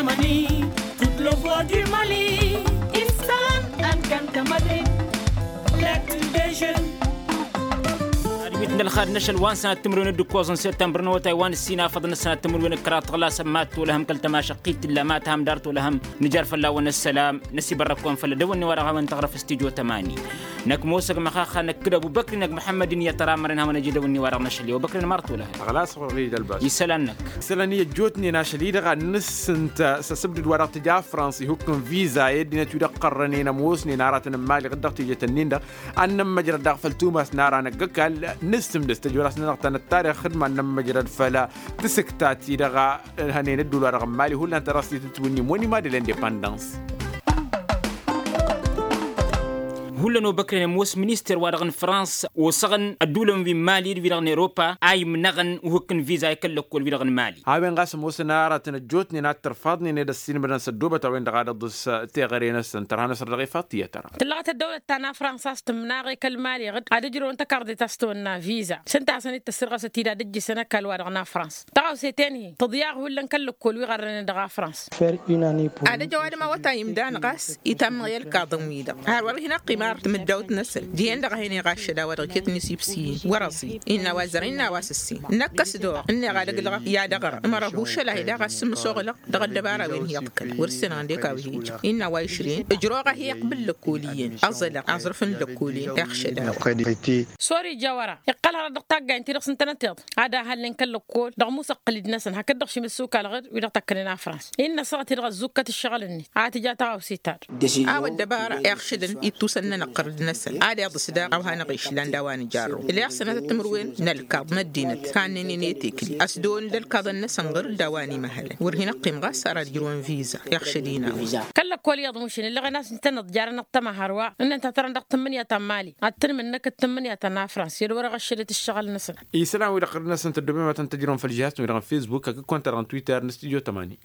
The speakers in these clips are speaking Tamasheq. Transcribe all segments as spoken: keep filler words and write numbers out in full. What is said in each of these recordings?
Mali, toute le voix du Mali. Isălan ănkăn tămădre. Lecture des jeunes. Ad-wit n-ălxad n-ašăl wa n-sănat timǝrwen d-ǝkkoẓ n-septămbăr n-awătay wa n-ǝssin afăḍăn n-sănat timǝrwen d-kăraḍ tăɣla sămmat tolăhăm kăl-tămašăqqit tǝlla ma tǝhăm dar tolăhăm. Nǝjar fălla-wăn ăssălam năsibărrăk-wăn făll-edăwănni wa dăɣ-hawăn tăɣrăf s-tijo tămani. Năkk mosa ăgg măxaxa năkk d-ăbubăkri năkk măḥămmăd-in i-tăra ămăren hawăn-ăj edăwănni wa dăɣ-năšăl i-ăbubăkri n-măr tolăhăm. Ăɣlas ɣur-i d-ălbas isălan-năkk. Isălan-i ăjjootnen ašăl-i-dăɣ a n-nǝssǝnt s-asǝbdǝd wa dăɣ-tǝja frans ihukk n-viza i-ăddinăt wi dăɣ-qărrănen ămoosnen aratăn n-imali ɣǝd-dăɣ tijăt-ǝnnin-dăɣ. Ad-nămmăjrăd daɣ făll-tumas n-ara năgg-ăkall. Nǝssǝmdăs tăjorasnănăɣ ta n-ăttarix xǝdma ad-nămmăjrăd făll-tǝsǝkta-ti-dăɣ. Hănen ădduul-wa-dăɣ n-mali hullan tărăstit ǝtwǝnnim wăn imadăl indepandăns. Hullan obăkren ămoos minister-wa-dăɣ n-frans osăɣăn ădduulăn wi n-mali d-wi-dăɣ n-europa a imnăɣăn uhǝkk n-viza i-kăl-lăkkol-wi-dăɣ n-mali. A-wen ɣas ămoosăn aratăn ăjjootnen ad-tărfaḍnen ed ăssiinmădăn s-ăddoobăt a-wen-dăɣ ad-ăḍḍǝs teɣăre-năsăn tărha n-asăr dăɣ-ifaḍ tiyyăt. Tăra tǝllăɣăt ăddăwlăt ta n-afrans a-s tǝmnăɣ i-kăl-mali ɣǝd ad-ǝjrăwăn tăkarḍe ta s-tăwănna viza s-ǝnta a hasăn-dd tăssirɣăsăt-dd ad-ǝjjǝsăn ăkall-wa-dăɣ n-afrans. Tăɣawse-ten-hi tǝḍyaɣ hullan kăl-lăkkol wi ɣărrănen dăɣ-afrans. Ad-ăj ăwadǝm a-wa ta imdan ɣas itamnăɣ i-ălkaḍăn-wi-dăɣ har wăr hin-ăqqim ar timǝddawt-năsăn dihen-dăɣ a hin-iɣaššăd a-wa dăɣ-iket n-isibsiyen wăr-ăẓi innă a-wa zărăn innă a-wa s-ǝssin. Năkk ăsdor ǝnneɣ ad-ăglăɣ i-ad-ăɣrăɣ ămăra hušăl-ahi daɣ a s-sǝmmǝsoɣlăɣ dăɣ-ăddăbara a-wen hi-iḍkăl wăr-ǝssinăɣ ǝndek a-wa hi-ija. Innă a-wa išrǝyăn ǝjrăwăɣ-ahi iqbǝl lăkol iyyăn ăẓălăɣ aẓrǝf n-lăkol-in iɣšăd a-wa. Sori jawăra iqqăl hărăt dăɣ-taggayen-ti-dăɣ s-ǝntănăteḍ ad-ahălnen kăl-lăkkol dăɣ-musăqqǝl-dd-năsăn hakd-dăɣ šim ǝssukal ɣǝr-wi-dăɣ tăkkănen afrans. Innă ăssaɣăt-i-dăɣ ăzzukkăt ǝššăɣǝl-net a tǝja taɣawse-ta-dd. A-wa ăddăbara iɣšădăn ittusăn-nănăɣ ɣǝr-dd-năsăn ad-iḍǝs daɣ a-wa hanăɣ-išlan d-a-wa nǝjarrăw. Ǝlleɣ sănatăt timǝrwen n-ălkaḍ n-ăddinăt kannănen i-tekli ăsdăwăn d-ălkaḍăn-năsăn ɣǝr-dd a-wa n-imăhălăn wăr hin-ăqqim ɣas ar ad-ǝjrǝwăn viza iɣšăd-in a-wa. Kăl-lăkkol iyyăḍ mušin ǝlleɣen a-s ǝntăneḍ jarăn-dăɣ tămăhar wa ǝnnăn ta tărăn dăɣ-tǝmmǝnǝya ta n-mali ad-tǝnmǝnnăkăt tǝmmǝnǝya ta n-afrans i-dd wăr-ăɣšădăt ǝššăɣǝl-năsăn. Isălan-wi-dăɣ ɣǝr-năsăn tăddobem ad-tăn-tăjrăwăn făll-žihaz-tăn-wi-dăɣ n-fesbuk hakd konta-dăɣ n-twitter n-studio tămani.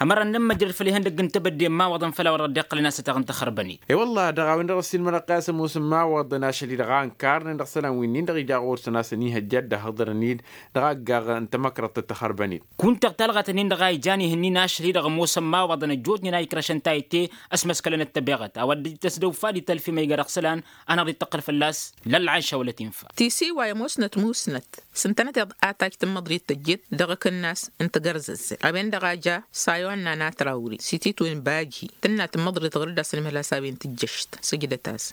Ămăra n-nǝmmăjrăd făll-ihăndăgg n-tebădde n-imawaḍăn făll-a-wa dăɣ-dd-iqqălăn a-s ăteɣ n-taxărbănit. E-wălla dăɣ-a-wen-dăɣ ăssiilmădăɣ-t a-s ămoos n-imawaḍăn ašăl-i-dăɣ a ǝnkar-nen dăɣ-isălan wi-nin-dăɣ ija ɣur-săn a-s ănihăjja ad-dd-ăhhăḍărăn-dd dăɣ-aggaɣ n-tamăkrăḍt d-taxărbănit. Kunta talɣat-nin-dăɣ a ijan ihǝnnin ašăl-i-dăɣ ămoosăn imawaḍăn ăjjootnen a ikrăšăn tayǝtte. Ăsmăskălăn d-tabeɣăt a-wa dd-tăsdăw fad i-talfimăyga dăɣ-isălan. Hanăɣ-dd-ittăqqǝl fălla-s lălɣayša wăla tinfa. Tisiwa i-ămoosnăt musnăt s-ǝntănăteḍ a tajj tǝmmăḍrit tăjjet dăɣ-akǝnnas n-tagărzăzzăl a-wen-dăɣ a ja sayonna n-atrawri s-ititwen bajhi tǝnna tǝmmăḍrit ɣur-dd a-s ănmăhăl-as a-wen tǝjjăšt. Sǝjdăt-as.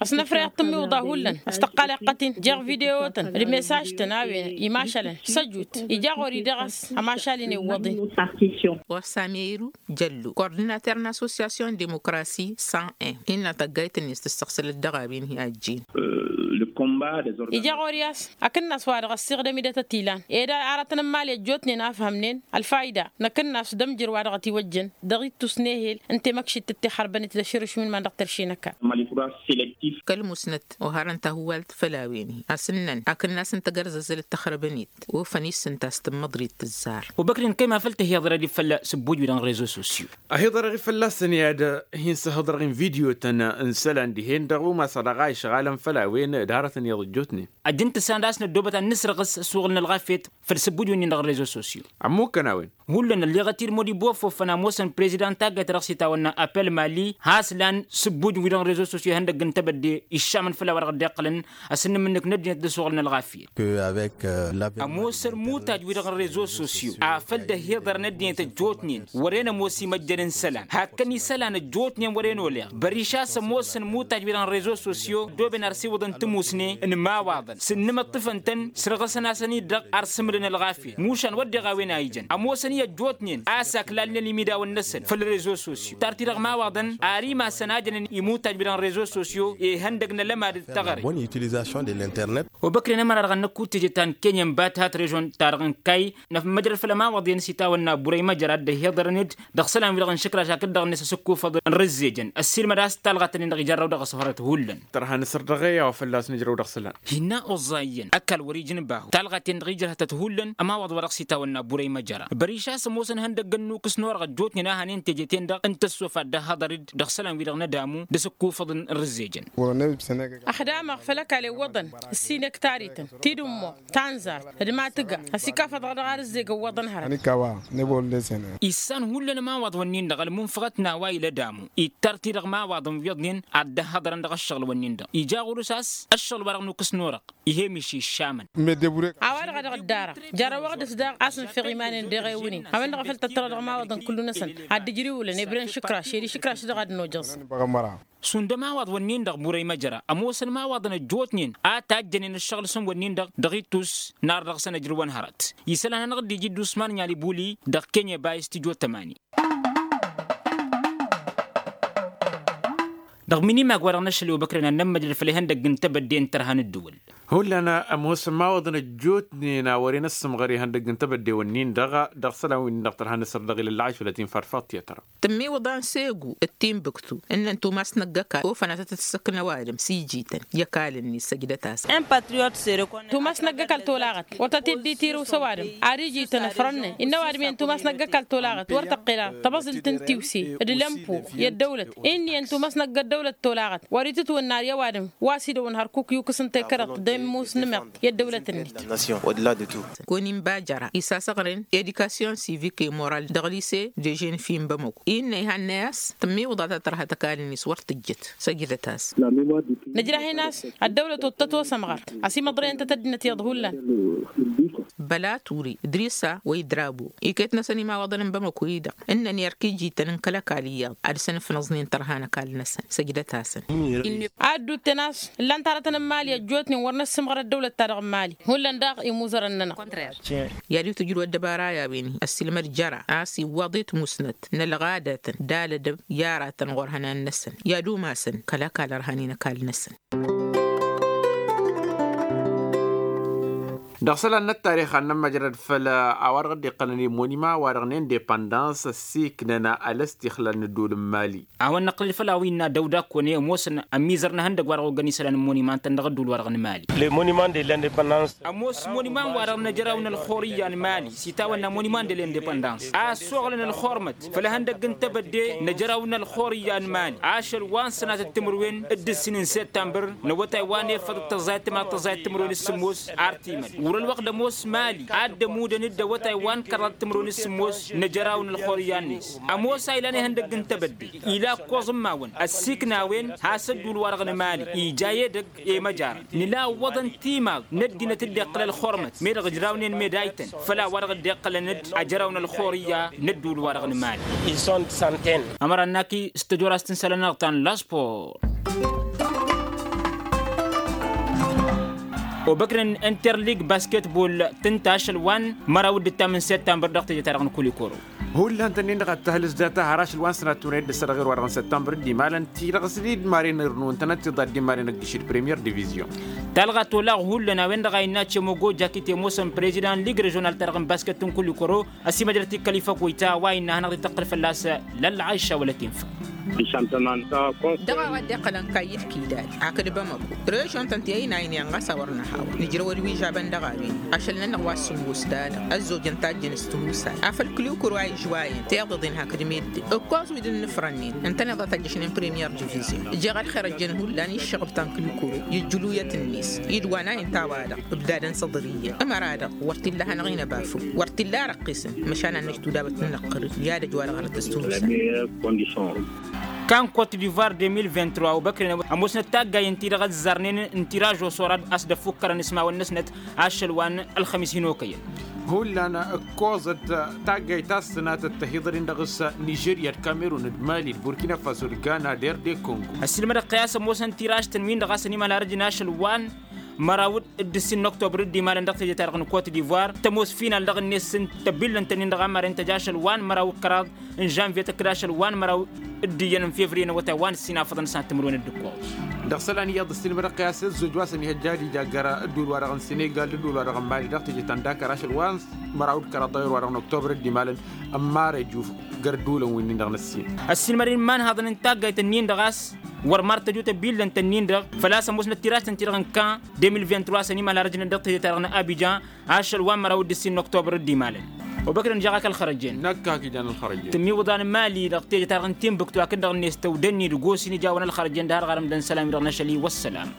Ăsnăfrăyăḍ tǝmmiwǝḍa hullan ăstăqqal iqqăt-in jeɣ video-tăn d-mesaj-tăn a-wen imašalăn săjut ija ɣur-i dăɣ-s ămašal-in iwwăḍ-in. Ɣur-s ameyru jăllu kordinater n-assosyasyon demokrasi san en innă tăggayt-net tǝssăɣsălăt dăɣ-a-wen hi-ajjen. Ija ɣur-i a-s akǝnnas-wa-dăɣ ăssiɣdăm idătăt ilan ed aratăn n-imali ăjjootnen a ăfhămnen ălfayda n-akǝnnas d-ămjǝr wa dăɣ-ătiwăjjăn dăɣ-ittus n-ehel n-temăkšit d-tixărbănit d-aširǝšmun man dăɣ-tărše n-ăkall. Kăl-musnăt oharăn tahǝwalt făll-a-wen-hi a-s ǝnnăn akǝnnas n-tagărzăzzăl d-taxărbănit ofăn-i s-ǝnta a-s tǝmmăḍrit tǝzzar. Obăknen kăy-ma făl tăhiḍărăd-i făll-sǝbbuj-wi-dăɣ n-rezo sosyo. Ăhiḍărăɣ-i fălla-săn i-ad-hin-săhǝḍrăɣ n-video-tăn n-isălan dihen-dăɣ umas a dăɣ-a išɣalăn făll-a-wen d-hărătăn iyyăḍ ăjjootnen. Ăjjǝn tǝssanăd a-s năddoobăt ad-nǝsrăɣǝs ăssuɣǝl n-ălɣafyăt făll-sǝbbuj-wi-nin-dăɣ n-rezo sosyo. Ămmukkăn a-wen. Hullan ălleɣăt-dd modibofo fănamosăn prezidan taggayt ta dăɣ-s itawănna apel mali has-lan sǝbbuj-wi-dăɣ n-rezo sosyo ihăndăgg n-tebădde iššamăn făll-a-wa dăɣ-dd-iqqălăn. Ăsǝnnǝmǝnnǝk n-ăddinăt d-ăssuɣǝl n-ălɣafyăt. Ămoosăn mutaj-wi-dăɣ n-rezo sosyo afăl dd-ăhiḍărăn ăddinăt ăjjootnen wăren ămoos imăjjăn n-isălan hakkăn isălan ăjjootnen wăren oleɣ băriš a-s ămoosăn mutaj-wi-dăɣ n-rezo sosyo ăddooben ar siwǝḍăn timusne n-imawaḍăn s-ǝnnǝmǝṭṭǝfăn-tăn sărɣǝsăn-asăn-dd-dăɣ ar sǝmǝlăn ălɣafyăt mušan wădden a-wen a ijăn ămoosăn-i ăjjootnen a-s aklalnen imidawăn-năsăn făll-rezo sosyo tar-t-i-dăɣ imawaḍăn ar imasăn a jănen imutaj-wi-dăɣ n-rezo sosyo ihăndăg n-alămad d-teɣăre. Obăkren ămăra-dăɣ ănnăkku teje ta n-kenya n-bat hat režon-ta-dăɣ n-kay năfmăjrăd făll-ămawaḍ-en s-itawănna burăy măjrad d-ăhiḍărăn-dd dăɣ-isălan-wi-dăɣ n-išǝkraš hakd-dăɣ-net asǝkkufăḍ n-rǝzzejăn ăssiilmăd a-s talɣat-nin-dăɣ ijarrăw dăɣ-ăṣfărăt hullan. Tărha n-asăr dăɣ-e a-wa fălla-s nǝjrăw. Hinna oẓẓa iyyăn ăkall wăr-ijǝnbăhu talɣa-ten-dăɣ ijrăhătăt hullan ămawaḍ wa dăɣ-s itawănna burăy măjăra băriš a-s ămoosăn ihăndăgg ănnukkǝs n-orăɣ ăjjootnen a hanen teje-ten-dăɣ n-tăssofat d-ahăḍăr-dd dăɣ-isălan-wi-dăɣ n-adamu d-asǝkkufăḍ n-rǝzzejăn. Ăxdamăɣ făll-ăkall iwwăḍăn ǝssin ektarităn tidǝmmoɣt tanzart d-matǝga ăsikafăḍăɣ dăɣ-arǝzzeg ǝwwăḍăn hărăt. Issan hullan ămawaḍ-wǝnnin-dăɣ ălmunfăɣăt n-a-wa ila adamu ittar-t-i dăɣ-imawaḍăn wi iyyăḍnen ad-dd-ăhhăḍărăn dăɣ-ăššăɣǝl-wǝnnin-dăɣ ija ɣur-s a-s ăššăɣǝl-wa-dăɣ nukkǝs n-orăɣ. Ih' emiš iššamăn. A-wa-dăɣ a dăɣ-dd-arăɣ jarrăwăɣ dăɣ-s daɣ a-s nǝfeɣ iman-en deɣ ewǝnen a-wen-dăɣ a făl tăttărăw dăɣ-imawaḍăn kullu-năsăn ad-dd-ǝjrǝwǝlăn ebre n-išǝkraš ed išǝkraš-dăɣ ad-nojăẓ. Šund ămawaḍ-wǝnnin-dăɣ burăy măjăra ămoosăn imawaḍăn ăjjootnen a tajjănen ǝššăɣǝl-săn wǝnnin-dăɣ dăɣ-ittus n-ar dăɣ-săn ăjrǝwăn hărăt isălan hanăɣ-dd-iji dd-usman n-alibuli dăɣ-kenye bayǝs tijo tămani. Dăɣ-minimag wa-dăɣ n-ašăl i-obăkrăn ad-nămmăjrăd făll-ihăndăgg n-tebădde n-tărha n-ǝddǝwǝl. Hullan ămoosăn imawaḍăn ăjjootnen a wăren ăssǝmɣăr ihăndăgg n-tebădde-wǝnnin-dăɣ dăɣ-isălan-win-dăɣ tărha n-asăr dăɣ-ilălla ašălăt-in farfăḍt i-tărha. Tǝmmiwǝḍan segu d-timbuktu ǝnnăn tumas n-ăgg-ăkall ofăn ad-tăt-ǝssǝkna ăwadǝm s-ijităn i-ăkall-net săjdăt-asăn. Tumas n-ăgg-ăkall tolaɣăt wăr tăt-dd-itirǝw s-ăwadǝm ad-ijităn ăfrănnen innă ăwadǝm iyyăn tumas n-ăgg-ăkall tolaɣăt wăr tăqqel ad-tăbăẓǝlt n-tiwse d-lămpo i-ăddăwlăt. Inn'-iyyăn tumas n-ăgg-ăddăwlăt tolaɣăt wăr-itǝtwǝnnar i-ăwadǝm wa s-idăwăn hărkuk yukǝs n-tekărăḍt d-ămmus n-imeḍt i-ăddăwlăt-net. Kăwăn-inba jăra isasăɣren edikasyon sivik i-moral dăɣ-lise de ženfi n-bamăko innă ihannăy a-s tǝmmiwǝḍa ta tărha tăkall-net wăr tǝjjǝt. Săjdăt-as. Nǝjrah-in a-s ăddăwlăt ottăt osămɣăr ăsimăḍrăyăn-tăt ăddinăt iyyăḍ hullan. Băla ture idrisa wa idrabo iket-năsăn imawaḍăn n-bamăko-i-dăɣ ǝnnăn i-erk ijităn n-kăl-ăkall iyyăḍ ad-săn-ǝfnăẓnen tărha n-ăkall-năsăn. Săjdăt-asăn. Ad-dd-utten a-s ǝllan-t arătăn n-mali ăjjootnen wăr năssǝmɣăr ăddăwlăt-ta-dăɣ n-mali hullan daɣ imuzărăn-nănăɣ. I-ad-iwt ǝjrǝw ăddăbara i-a-wen-hi ăssiilmăd jăra a-s iwwaḍ i-timusnăt n-ălɣadătăn d-alădăb i-aratăn ɣur-ihănan-năsăn i-ad-umasăn kăl-ăkall ărhanen ăkall-năsăn. Dăɣ-isălan n-ăttarix ad-nămmăjrăd făll-a-wa-dăɣ dd-iqqălăn i-monima-wa-dăɣ n-indepăndans ăssiiknăn alăstixlal n-ădduul n-mali. A-wen năqqǝlăd făll-a-wa innă dăw-dd-akkăwăn i-ămoosăn ămizăr n-ehăndăgg-wa-dăɣ ogăn isălan n-monima-tăn dăɣ-ădduul-wa-dăɣ n-mali. Ămoos monima-wa-dăɣ n-ajăraw n-ălxurǝyya n-mali s-itawănna monima n-de-l-indepăndans a ăssoɣlăn ălxurmăt făll-ehăndăgg n-tebădde n-ajăraw n-ălxurǝyya n-mali ašăl wa n-sănatăt timǝrwen d-ǝssin n-săttămbăr n-awătay wa n-efăḍ d-tăẓẓayăt timǝrwen d-sǝmmos. Ar timăl wăr-ălwăqq d-ămoos mali ad-dd-ămudăn-dd awătay wa n-kăraḍăt timǝrwen d-sǝmmos n-ajăraw n-ălxurǝyya-net. Ămoos a ilan ihăndăgg n-tebădde ila ǝkkoẓ n-imawăn ăssiiknawăn has-ădduul-wa-dăɣ n-mali ija edăgg i-măjara nǝla ǝwwăḍăn timaḍ n-ăddinăt dd-iqqǝl ălxurmăt meddăɣ ǝjrawnen medaytăn făll-a-wa-dăɣ dd-iqqălăn-dd ajăraw n-ălxurǝyya n-ădduul-wa-dăɣ n-mali. Ămăra n-aki s-tăjorast n-isălan-nănăɣ ta n-laspor. Obăkrăn n-interlig basketbol tǝnta ašăl wa n-măraw d-ǝttam n-săttămbăr dăɣ-teje-ta-dăɣ n-kulikoro. Hullan-tăn-in-dăɣ ad-tăhǝlǝs data har ašăl wa n-sănat tunăyăt d-ăssărăɣ i-ărwaḍăɣ n-săttămbăr d-imalăn ti-dăɣ s-dd-maren irnǝwăn-tănăt tiḍa dd-imalăn ăgg-išǝd premier divizion. Talɣa tolaɣ hullan a-wen-dăɣ a innă cemogo jakite ămoosăn prezidan lig režional-ta-dăɣ n-basket n-kulikoro. Ăsimăjrăt-i kăl-ifăk wăyta wa innă a hanăɣ-dd-tăqqǝl fălla-s lălla ašša wăla tinfăɣ. Dăɣ-a-wa dd-iqqălăn kayy d-kidad hakd bamăko režion-tăn ti ăynaynen ɣas a wăr nǝhawăl nǝjrăwăd wi žabăn dăɣ-a-wen ašăl-nănăɣ wa s-sǝmmos d-alăɣ ăzzojăn tajjăn s-timusay afăl kǝlukuro a ižwayăn tiḍăḍen hakd meddǝn ǝkkoẓ wi d-ǝnnǝfrănnen ǝntăneḍ a tăjjăšnen premier divizion. Jeɣ ălxer ăjjăn hullan i-ǝššăɣǝb ta n-kǝlukuro i-ǝjjǝluyăt-net i-dd-wa n-a inta-wa-dăɣ ǝbdadăn s-aḍăr iyyăn ămăra-dăɣ wăr t-illa hanăɣ-in-ăbafăw wăr t-illa răqqisăn. Măšan ad-năj tudabăt n-inăqqărǝy i-ad-ăj wa dăɣ-hărăt s-tǝwǝsa. Kan kot divoir deux mille vingt-trois obăkren ămoosnăt taggay ǝnta-i-dăɣ ăzzarnen n-tiraž osorad a-s dd-ăffukkărăn ismawăn-năsnăt ašăl wa n-ălxămis hin-okăyăn. Hullan ǝkkoẓăt taggayt ta s-sănatăt tăhiḍăr-in dăɣ-s nižerya d-kamerun d-mali d-burkina faso d-gana d-erde kongo. Ăssiilmădăɣ-t i-a-s ămoosăn tiraž-tăn-win-dăɣ a-s ănimăla răjăn ašăl wa n-măraw d-ǝssin n-oktobăr dd-imalăn dăɣ-teje-ta-dăɣ n-kot divoir tămoos final dăɣ-net s-ǝnta tăbillăn-tăn-in-dăɣ a maren tăj ašăl wa n-măraw d-kăraḍ n-žănvye tăkk d-ašăl wa n-măraw d-iyyăn n-fevriye n-awătay wa n-ǝssin afăḍăn s-ad-tǝmrǝwăn d-ǝkkoẓ. Dăɣ-isălan iyyăḍ ǝssilmădăɣ-t i-a-s ăzzoj wa s-ănihăjja ad-ija ăgg-ara ădduul-wa-dăɣ n-senegal d-ădduul-wa-dăɣ n-mali dăɣ-teje ta n-dakar ašăl wa n-măraw d-kăraḍ dăɣ-erwa-dăɣ n-oktobăr dd-imalăn ămmarăj uf găr-ădduulăn wi-nin-dăɣ n-ǝssin. Ăssiilmădăn imanhaḍăn n-taggayt-ǝnnin-dăɣ a-s wăr mar tăjut ăbillăn-tăn-in-dăɣ făl-a-s ămoosnăt tiras-tăn-ti-dăɣ n-kan de mil vint-trois ănimal har ăjnăn dăɣ-tejăt-ta-dăɣ n-abidjan. Ašăl wa n-măraw d-ǝssin n-oktobăr d-imalăn obăkdăn jaɣ-ak ălxărăjen. Năkk ak ijan ălxărăjen. Tǝmmiwǝḍan mali dăɣ-tejăt-ta-dăɣ n-tinbǝktu akǝn-dăɣ-net tăwdănni d-gosin ijawăn ălxărăjen d-har ɣarăm d-ănsălam-i-dăɣ n-ašăl i-wăssălam.